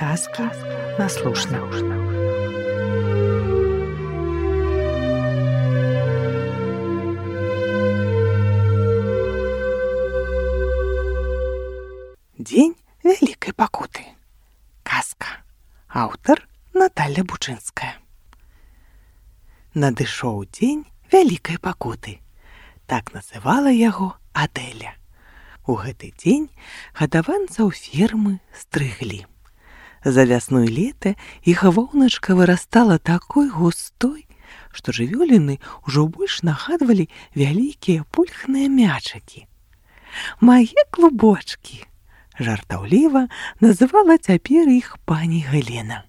Сказки на слушна. Дзень вялікай пакуты. Казка. Аўтар Наталя Бучынская. Надышоў дзень вялікай пакуты. Так называла яго Адэля. У гэты дзень гадаванцаў фермы стрыглі. За вясну і лета іх воўначка вырастала такой густой, што жывёліны ўжо больш нагадвалі вялікія пульхныя мячыкі. «Мае клубочкі!» жартаўліва называла цяпер іх пані Галена.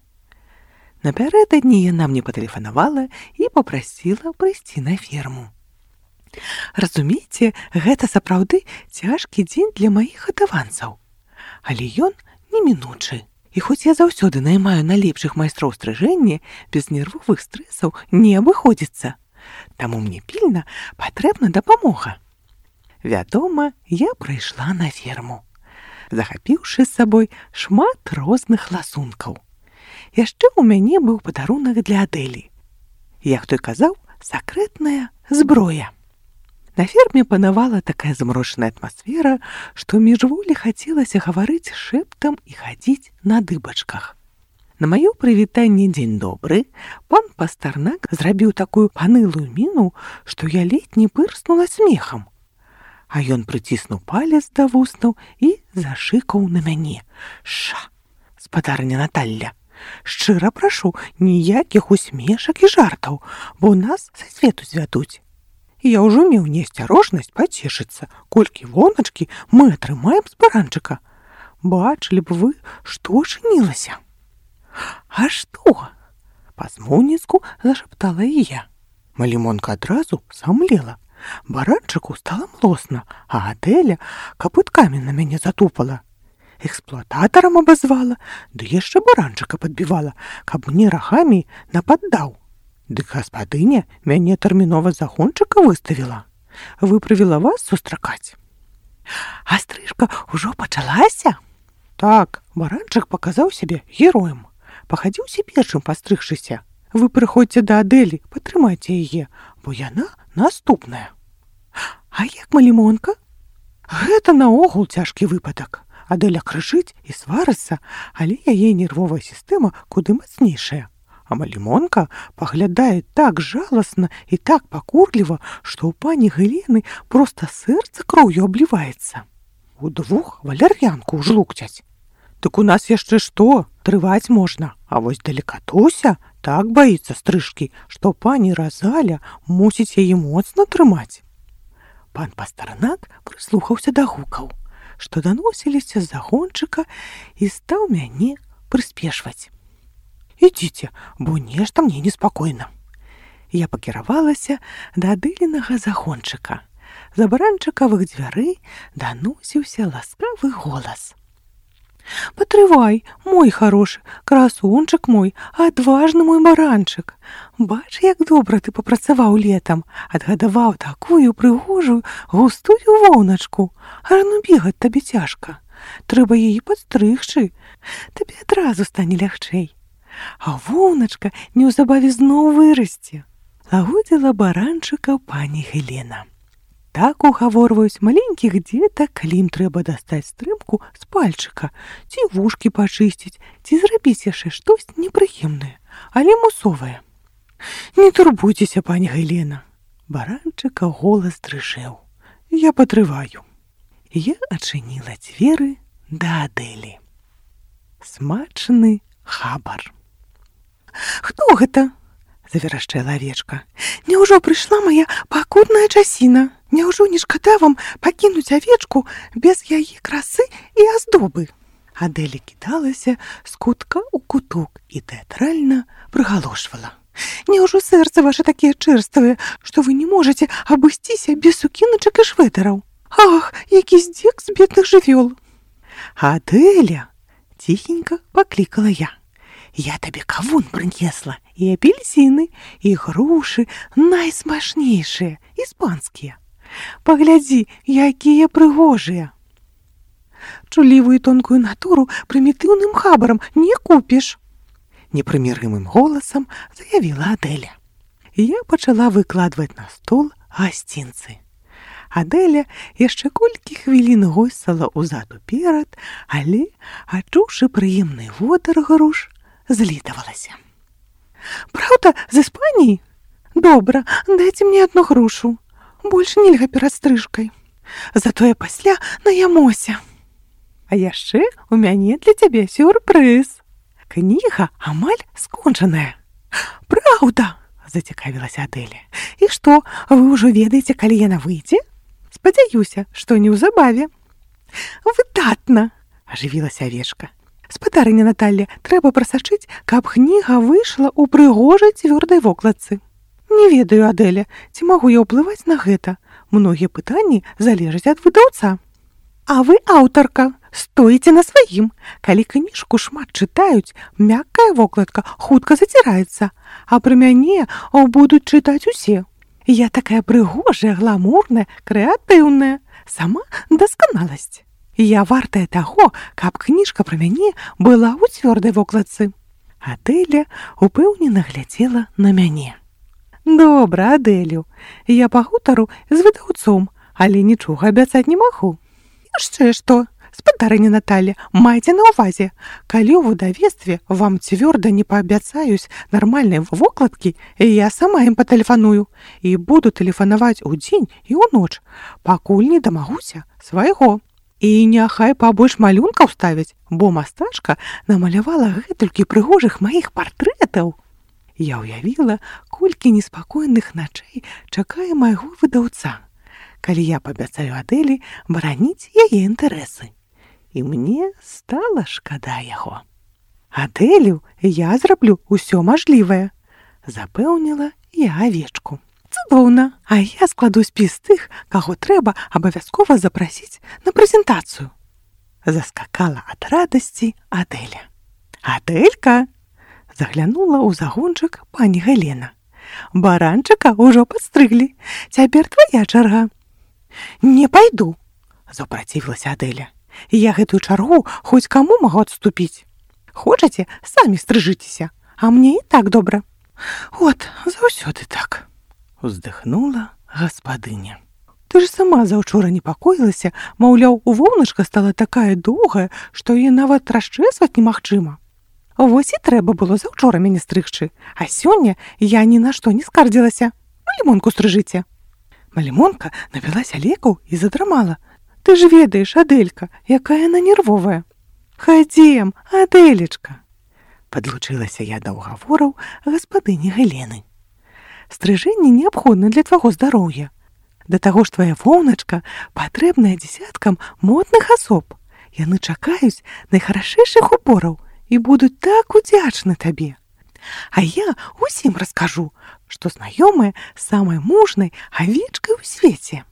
Напярэдадні яна мне патэлефанавала і папрасіла прыйсці на ферму. Разумееце, гэта сапраўды цяжкі дзень для маіх гадаванцаў. Але ён немінучы. І хоць я заўсёды наймаю найлепшых майстроў стрыжэння, без нервовых стрэсаў не абыходзіцца. Таму мне пільна патрэбна дапамога. Вядома, я прыйшла на ферму, захапіўшы з сабой шмат розных ласункаў. Яшчэ ў мяне быў падарунак для Адэлі. Як той казаў, сакрэтная зброя. На ферме панавала такая замрошаная атмасфера, што міжволі хацелася гаварыць шэптам і хадзіць на дыбачках. На маё прывітанне «Дзень добры» пан Пастарнак зрабіў такую панылую міну, што я ледзь не пырснула смехам. А ён прыціснуў палец да вуснаў і зашыкаў на мяне. «Ша, спадарня Наталля, шчыра прашу, ніякіх усмешак і жартаў, бо нас са свету звядуць». Я ўжо меў неасцярожнасць пацешыцца, колькі воначкі мы атрымаем з баранчыка. Бачылі б вы, што чынілася. А што? Па-змоўніцку зашаптала і я. Малімонка адразу самлела. Баранчыку стала млосна, а Адэля капыткамі на мяне затупала. Эксплуататарам абазвала, ды яшчэ баранчыка падбівала, каб мне рагамі нападдаў. Дык гаспадыня мяне тэрмінова загончыка выставіла. Выправіла вас сустракаць. А стрыжка ўжо пачалася? Так, баранчык паказаў сябе героем. Пахадзіўся першым пастрыгшыся. Вы прыходзьце да Адэлі, падтрымайце яе, бо яна наступная. А як малімонка? Гэта наогул цяжкі выпадак. Адэля крычыць і сварыцца, але яе нервовая сістэма куды мацнейшая. А малімонка паглядае так жаласна і так пакурліва, што ў пані Галены проста сэрца кроўю абліваецца. Удвух валяр'янку жлукцяць. Дык у нас яшчэ што? Трываць можна. А вось далекатуся так баіцца стрыжкі, што пані Разаля мусіць яе моцна трымаць. Пан Пастарнак прыслухаўся да гукаў, што даносіліся з загончыка, і стаў мяне прыспешваць. «Ідзіце, бо нешта мне неспакойна». Я пакіравалася да Адэлінага загончыка. З баранчыкавых дзвярэй даносіўся ласкавы голас. «Патрывай, мой харошы, красунчык мой, адважны мой баранчык. Бач, як добра ты папрацаваў летам, адгадаваў такую прыгожую густую воўначку. Ажно бегаць табе цяжка. Трэба яе падстрыгчы, табе адразу стане лягчэй. А воўначка неўзабаве зноў вырасце», лагодзіла баранчыка пані Галена. Так угаворваюць маленькіх дзетак, калі ім трэба дастаць стрымку з пальчыка, ці вушкі пачысціць, ці зрабіць яшчэ штось непрыемнае, але мусовае. «Не турбуйцеся, пані Галена». Баранчыка голас дрыжэў. «Я патрываю». Я адчыніла дзверы да Адэлі. Смачны хабар. «Хто гэта?» – заверашчэла авечка. «Няўжо прыйшла мая пакутная часіна? Няўжо не шкада вам пакінуць авечку без яе красы і аздобы?» Адэля кідалася з кутка ў куток і тэатральна прыгалошвала. «Няўжо сэрцы вашы такія чэрствыя, што вы не можаце абысціся без сукіначак і швэдэраў? Ах, які здзек з бедных жывёл!» «Адэля!» – ціхенька паклікала я. «Я табе кавун прынесла, і апельсіны, і грушы найсмачнейшыя, іспанскія. Паглядзі, якія прыгожыя». Чулівую тонкую натуру прымітыўным хабарам не купіш. Непрымірымым голасам заявіла Адэля. Я пачала выкладваць на стол гасцінцы. Адэля яшчэ колькі хвілін гойсала ўзад уперад, але, адчуўшы прыемны водар груш, злітавалася. «Праўда, з Іспаніі? Добра, дайце мне одну грушу. Больш нельга перад стрыжкай. Затое пасля наямося. А яшчэ у мяне для цябе сюрпрыз. Кніга амаль скончаная». «Праўда?» – зацікавілася Адэля. «І што, вы ўжо ведаеце, калі яна выйдзе?» «Спадзяюся, што неўзабаве». «Выдатна!» – ажывілася авечка. «Спадарыня Наталля, трэба прасачыць, каб кніга выйшла ў прыгожай цвёрдай вокладцы. Не ведаю, Адэля, ці магу я ўплываць на гэта? Многія пытанні залежаць ад выдаўца». «А вы аўтарка, стоіце на сваім. Калі кніжку шмат чытаюць, мяккая вокладка хутка заціраецца, а пра мяне будуць чытаць усе. Я такая прыгожая, гламурная, крэатыўная, сама дасканаласць. Я вартая таго, каб кніжка пра мяне была ў цвёрдай вокладцы». Адэля упэўнена глядзела на мяне. «Добра, Адэлю, я пагутару з выдаўцом, але нічога абяцаць не магу». «Яшчэ што, спадарыня Наталля, майце на ўвазе, калі ў выдавецтве вам цвёрда не паабяцаюць нармальнай вокладкі, я сама ім патэлефаную і буду тэлефанаваць удзень і ўноч, пакуль не дамагуся свайго. І няхай пабольш малюнкаў ставяць, бо мастачка намалявала гэтулькі прыгожых маіх партрэтаў». Я ўявіла, колькі неспакойных начэй чакае майго выдаўца, калі я паабяцаю Адэлі бараніць яе інтарэсы. І мне стала шкада яго. «Адэлю, я зраблю ўсё мажлівае», – запэўніла я авечку. «Цудоўна, а я складу спіс тых, каго трэба абавязкова запрасіць на прэзентацыю». Заскакала ад радасці Адэля. «Адэлька!» – заглянула ў загончык пані Галена. «Баранчыка ўжо падстрыглі. Цяпер твая чарга». «Не пайду», – запрацівілася Адэля. «Я гэтую чаргу хоць каму магу адступіць. Хочаце, самі стрыжыцеся, а мне і так добра». «От, заўсёды так», – уздыхнула гаспадыня. «Ты ж сама заўчора непакоілася, маўляў, воўначка стала такая доўгая, што яе нават расчэсваць немагчыма. Вось і трэба было заўчора мяне стрыгчы, а сёння я ні на што не скардзілася. Малімонку стрыжыце». Малімонка напілася лекаў і задрамала. «Ты ж ведаеш, Адэлька, якая яна нервовая». «Хадзем, Адэлечка», – падлучылася я да ўгавораў гаспадыні Галены. «Стрыжэнне неабходна для твайго здароўя. Да таго ж твая воўначка патрэбная дзесяткам модных асоб. Яны чакаюць найхарашэйшых убораў і будуць так удзячны табе. А я усім раскажу, што знаёмая самай мужнай авечкай у свеце».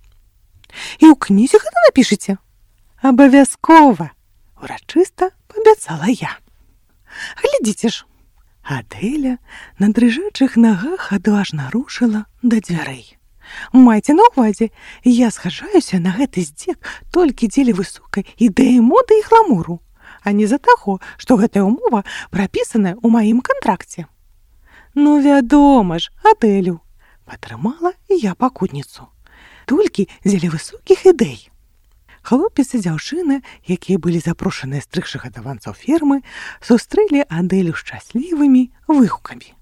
«І ў кнізе гэта напішыце?» «Абавязкова», – урачыста паабяцала я. «Глядзіце ж». Адэля на дрыжачых нагах адважна рушыла да дзвярэй. «Майце на ўвазе, я схаджаюся на гэты здзек толькі дзеля высокай ідэі моды і гламуру, а не за таго, што гэтая ўмова прапісаная ў маім кантракце». «Ну, вядома ж, Адэлю», – падтрымала я пакутніцу. «Толькі дзеля высокіх ідэй». Хлопец і дзяўчына, якія былі запрошаныя стрыгчы гадаванцаў фермы, сустрэлі Адэлю шчаслівымі выгукамі.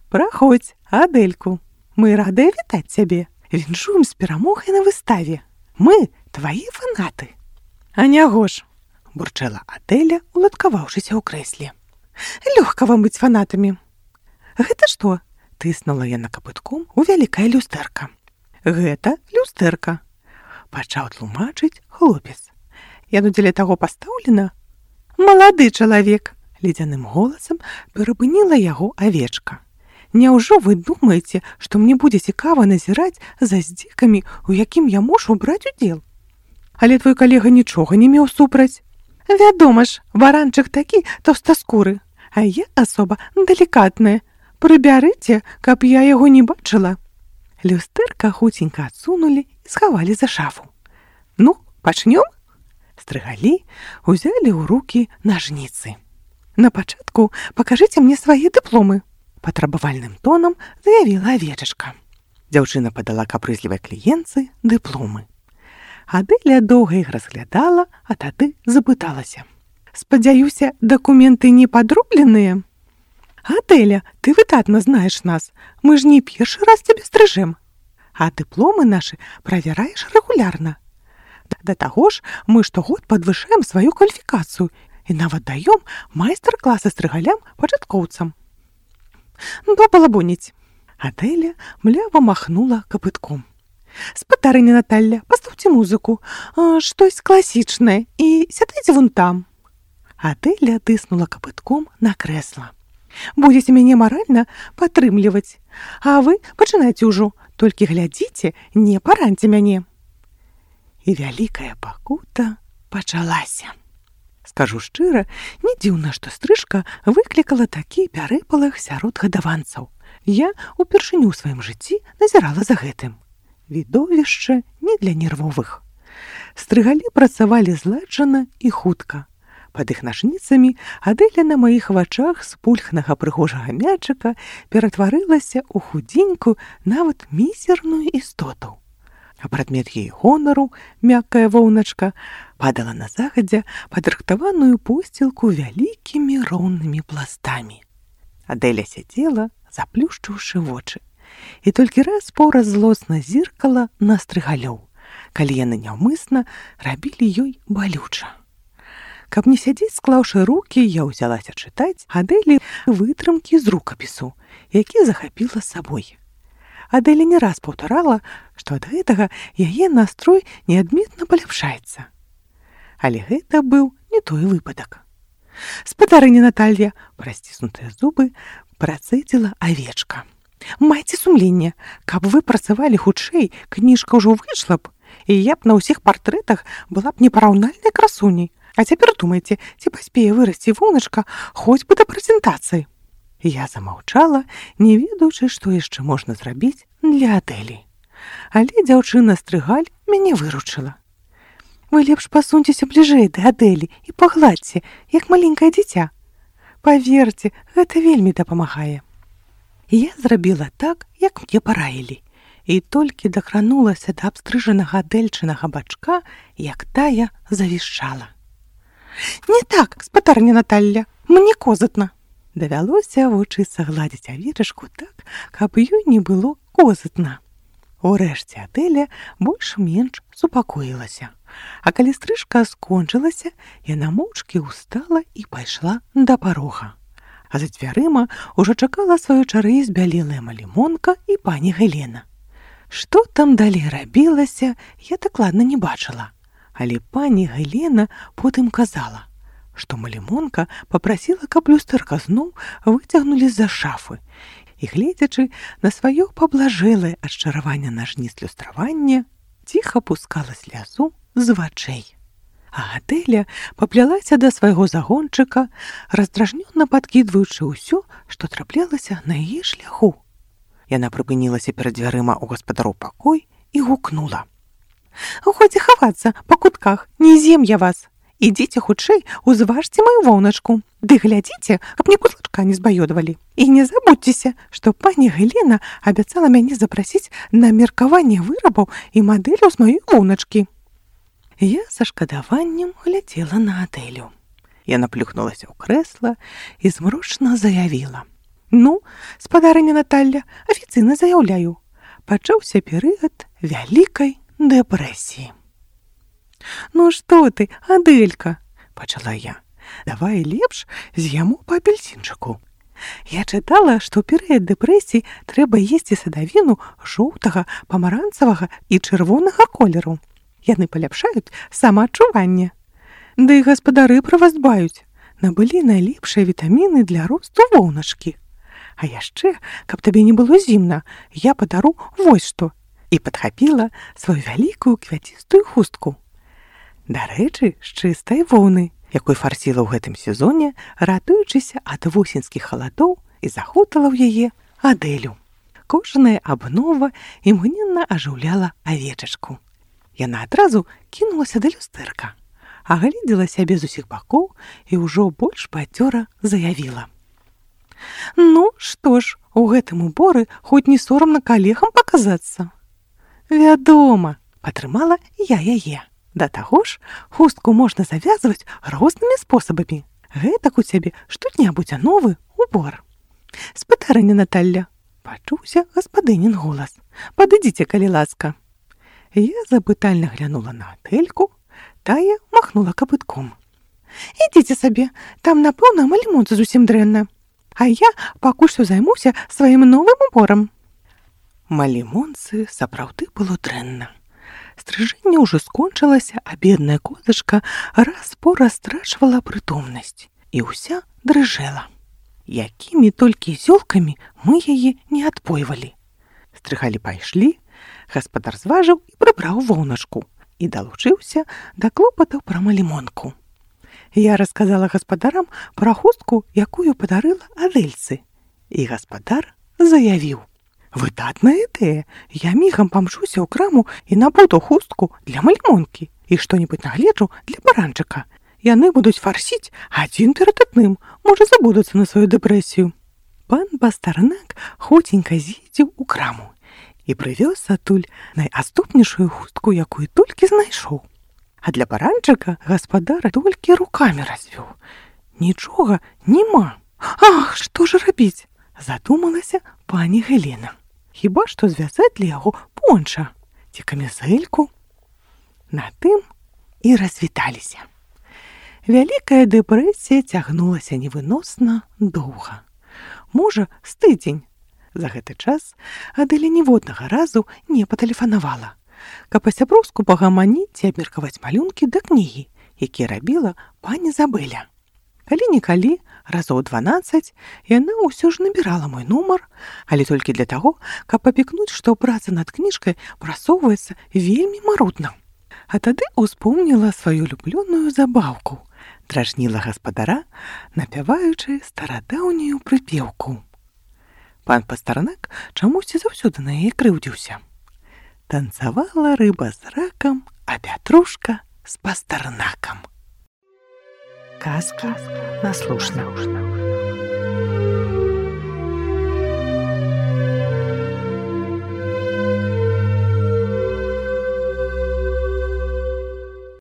«Праходзь, Адэльку, мы радыя вітаць цябе. Віншуем з перамогай на выставе. Мы твае фанаты». «А няго ж», – бурчала Адэля, уладкаваўшыся ў крэсле. «Лёгка вам быць фанатамі». «Гэта што?» – тыснула яна капытком у вялікае люстэрка. «Гэта люстэрка», – пачаў тлумачыць хлопец. «Яно дзеля таго пастаўлена». «Малады чалавек», – ледзяным голасам перапыніла яго авечка. «Няўжо вы думаеце, што мне будзе цікава назіраць за здзекамі, у якім я мушу браць удзел? Але твой калега нічога не меў супраць. Вядома ж, баранчык такі таўстаскуры, а я асоба далікатная. Прыбярыце, каб я яго не бачыла». Люстэрка хуценька адсунулі і схавалі за шафу. «Ну, пачнём?» Стрыгалі узялі ў рукі нажніцы. «На пачатку пакажыце мне свае дыпломы», – патрабавальным тонам заявіла авечачка. Дзяўчына падала капрызлівай кліентцы дыпломы. Адэля доўга іх разглядала, а тады запыталася. «Спадзяюся, дакументы не падробленыя?» «Адэля, ты выдатна знаеш нас, мы ж не першы раз цябе стрыжэм. А дыпломы нашы правяраеш рэгулярна. Да таго ж мы штогод падвышаем сваю кваліфікацыю і нават даём майстар-класы стрыгалям пачаткоўцам». «Балабоніць». Адэля млява махнула капытком. «Спадарыня Наталля, пастаўце музыку, штось класічнае і сядайце вон там». Адэля тыснула капытком на крэсла. «Будзеце мяне маральна падтрымліваць, а вы пачынайце ўжо, толькі глядзіце, не параньце мяне». І вялікая пакута пачалася. Скажу шчыра, не дзіўна, што стрыжка выклікала такі пярэпалах сярод гадаванцаў. Я упершыню ў сваім жыцці назірала за гэтым. Відовішча не для нервовых. Стрыгалі працавалі зладжана і хутка. Пад іх нажніцамі Адэля на маіх вачах з пульхнага прыгожага мячыка ператварылася ў худзенькую, нават мізерную істоту. А прадмет яе гонару, мяккая воўначка, падала на загадзя падрыхтаваную посцілку вялікімі роўнымі пластамі. Адэля сядзела, заплюшчыўшы вочы, і толькі раз-пораз злосна зіркала на стрыгалёў, калі яны няўмысна рабілі ёй балюча. Каб не сядзець, склаўшы рукі, я ўзялася чытаць Адэлі вытрымкі з рукапісу, які захапіла з сабой. Адэля не раз паўтарала, што ад гэтага яе настрой неадметна паляпшаецца. Але гэта быў не той выпадак. «Спадарыня Наталья», праз сціснутыя зубы, працэдзіла авечка. «Майце сумленне, каб вы працавалі хутчэй, кніжка ўжо выйшла б, і я б на ўсіх партрэтах была б непараўнальнай красуняй. А цяпер думайце, ці паспее вырасці воўначка хоць бы да прэзентацыі». Я замаўчала, не ведаючы, што яшчэ можна зрабіць для Адэлі. Але дзяўчына-стрыгаль мяне выручыла. «Вы лепш пасуньцеся бліжэй да Адэлі і пагладзьце, як маленькае дзіця. Паверце, гэта вельмі дапамагае». Я зрабіла так, як мне параілі, і толькі дакранулася да абстрыжанага адэльчынага бачка, як тая завішчала. «Не так, спадарня Наталля, мне козытна». Давялося вучыцца гладзіць авечачку так, каб ёй не было козытна. Урэшце Адэля больш-менш супакоілася. А калі стрыжка скончылася, яна моўчкі ўстала і пайшла да парога. А за дзвярыма ўжо чакала сваёй чары збялелая малімонка і пані Гелена. Што там далей рабілася, я дакладна не бачыла. Але пані Гелена потым казала, што малімонка папрасіла, каб люстэрка зноў выцягнулі з-за шафы, і, гледзячы на сваё паблажэлае ад чаравання нажніц люстравання, ціха пускала слязу з вачэй. А Адэля паплялася да свайго загончыка, раздражнёна падкідваючы ўсё, што траплялася на яе шляху. Яна прыпынілася перад дзвярыма ў гаспадароў пакой і гукнула: «Годзе хавацца па кутках, не з'ем я вас. Ідзіце хутчэй, узважце маю воўначку. Ды глядзіце, каб ні кусачка не збаёдвалі. І не забудзьцеся, што пані Гелена абяцала мяне запрасіць на меркаванне вырабаў і мадэляў з маёй воўначкі». Я са шкадаваннем глядзела на Адэлю. Яна плюхнулася ў крэсла і змрочна заявіла: «Ну, спадарыня Наталля, афіцыйна заяўляю, пачаўся перыяд вялікай дэпрэсіі». «Ну што ты, Адэлька», – пачала я, – «давай лепш з'яму па апельсінчыку. Я чытала, што ў перыяд дэпрэсіі трэба есці садавіну жоўтага, памаранцавага і чырвонага колеру. Яны паляпшаюць самаадчуванне. Да і гаспадары пра вас дбаюць. Набылі найлепшыя вітаміны для росту воўначкі. А яшчэ, каб табе не было зімна, я падару вось што». І падхапіла сваю вялікую квяцістую хустку. Дарэчы, з чыстай воўны, якой фарсіла ў гэтым сезоне, ратуючыся ад восеньскіх халадоў, і захутала ў яе Адэлю. Кожная абнова імгненна ажыўляла авечачку. Яна адразу кінулася да люстэрка, агледзела сябе з усіх бакоў і ўжо больш бадзёра заявіла: «Ну, што ж, у гэтым уборы хоць не сорамна калегам паказацца». «Вядома», — падтрымала я яе. «Да таго ж, хустку можна завязваць рознымі спосабамі. Гэтак у цябе штодня будзе новы убор». «Спадарыня Наталля», — пачуўся гаспадынін голас, «падыдзіце, калі ласка». Я запытальна глянула на Адэльку, тая махнула капытком. «Ідзіце сабе, там, напэўна, малімонцы зусім дрэнна. А я пакуль што займуся сваім новым уборам». Малімонцы сапраўды было дрэнна. Стрыжэнне ўжо скончылася, а бедная козачка раз-пораз страчвала прытомнасць і ўся дрыжэла. Якімі толькі зёлкамі мы яе не адпойвалі. Стрыгалі пайшлі, гаспадар зважыў і прыбраў воўначку і далучыўся да клопатаў пра малімонку. Я расказала гаспадарам пра хустку, якую падарыла Адэльцы, і гаспадар заявіў: «Выдатная ідэя, я мігам памчуся ў краму і набуду хустку для малімонкі і што-небудзь нагледжу для баранчыка. Яны будуць фарсіць адзін перад адным, можа, забудуцца на сваю дэпрэсію». Пан Пастарнак хоценька з'ездзіў у краму і прывёз адтуль найаступнейшую хустку, якую толькі знайшоў. А для баранчыка гаспадар толькі рукамі развёў. Нічога няма. «Ах, што ж рабіць?» — задумалася пані Гелена. «Хіба што звязаць для яго понча ці камізэльку». На тым і развіталіся. Вялікая дэпрэсія цягнулася невыносна доўга. Можа, з тыдзень. За гэты час Адэля ніводнага разу не патэлефанавала, каб па-сяброўску пагаманіць і абмеркаваць малюнкі да кнігі, якія рабіла пані Забэля. Калі-нікалі, разоў 12, яна ўсё ж набірала мой нумар, але толькі для таго, каб папікнуць, што праца над кніжкай прасоўваецца вельмі марудна. А тады успомніла сваю люблёную забаўку, дражніла гаспадара, напяваючы старадаўнюю прыпеўку. Пан Пастарнак чамусьці заўсёды на яе крыўдзіўся. Танцавала рыба з ракам, а пятрушка з пастарнакам. Казка на слушна.